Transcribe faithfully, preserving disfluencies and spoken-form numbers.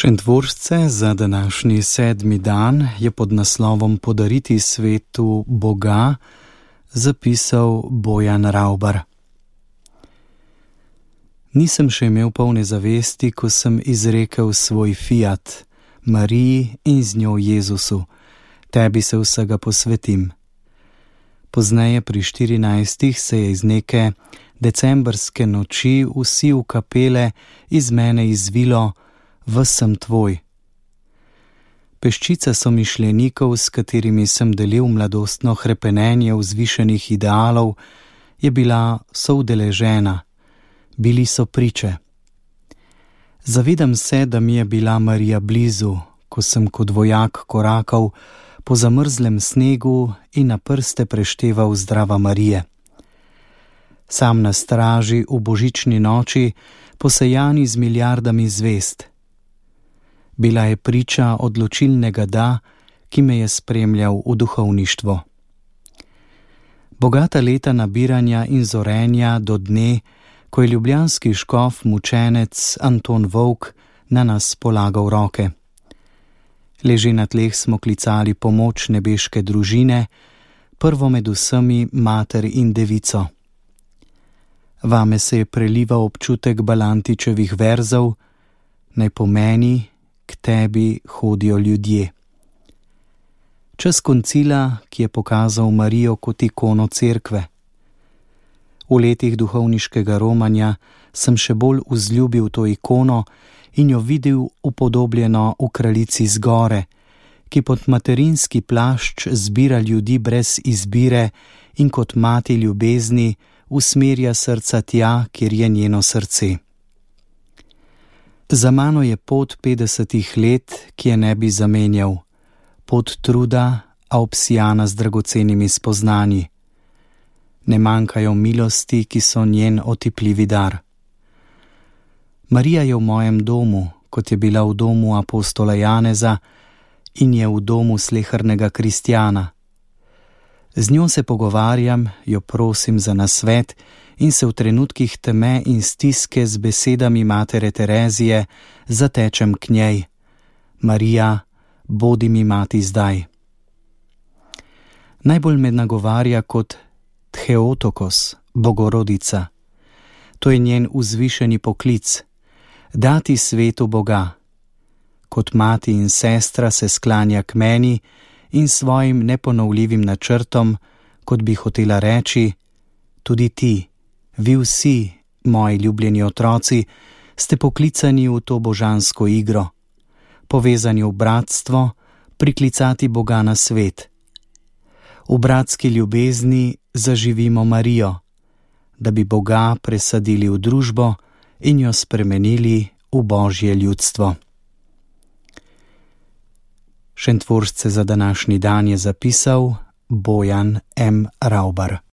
Šentvorsce za današnji sedmi dan je pod naslovom Podariti svetu Boga zapisal Bojan Ravbar. Nisem še imel polne zavesti, ko sem izrekel svoj fiat, Mariji in z njo Jezusu, tebi se vsega posvetim. Pozneje pri štirinajstih se je iz neke decembrske noči vsi v kapele iz mene izvilo: Ves sem tvoj. Peščica somišljenikov, s katerimi sem delil mladostno hrepenenje vzvišenih idealov, je bila soudeležena, bili so priče. Zavedam se, da mi je bila Marija blizu, ko sem kot vojak korakal po zamrzlem snegu in na prste prešteval zdrava Marije. Sam na straži v božični noči, posejani z milijardami zvezd. Bila je priča odločilnega da, ki me je spremljal v duhovništvo. Bogata leta nabiranja in zorenja do dne, ko je ljubljanski škof mučenec Anton Volk na nas polagal roke. Leže na tleh smo klicali pomoč nebeške družine, prvo med vsemi mater in devico. Vame se je prelival občutek Balantičevih verzov, naj pomeni, k tebi hodijo ljudje. Čas koncila, ki je pokazal Marijo kot ikono cerkve. V letih duhovniškega romanja sem še bolj vzljubil to ikono in jo videl upodobljeno v kraljici z gore, ki pod materinski plašč zbira ljudi brez izbire in kot mati ljubezni usmerja srca tja, kjer je njeno srce. Za mano je pot petdesetih let, ki je ne bi zamenjal, pot truda, a obsijana z dragocenimi spoznanji. Ne manjkajo milosti, ki so njen otipljivi dar. Marija je v mojem domu, kot je bila v domu apostola Janeza in je v domu slehernega kristjana. Z njo se pogovarjam, jo prosim za nasvet in se v trenutkih teme in stiske z besedami matere Terezije zatečem k njej: Marija, bodi mi mati zdaj. Najbolj me nagovarja kot Theotokos, Bogorodica. To je njen vzvišeni poklic, dati svetu Boga. Kot mati in sestra se sklanja k meni in svojim neponovljivim načrtom, kot bi hotela reči: tudi ti, vi vsi, moji ljubljeni otroci, ste poklicani v to božansko igro, povezani v bratstvo, priklicati Boga na svet. V bratski ljubezni zaživimo Marijo, da bi Boga presadili v družbo in jo spremenili v Božje ljudstvo. Šentvorsce za današnji dan je zapisal Bojan M. Ravbar.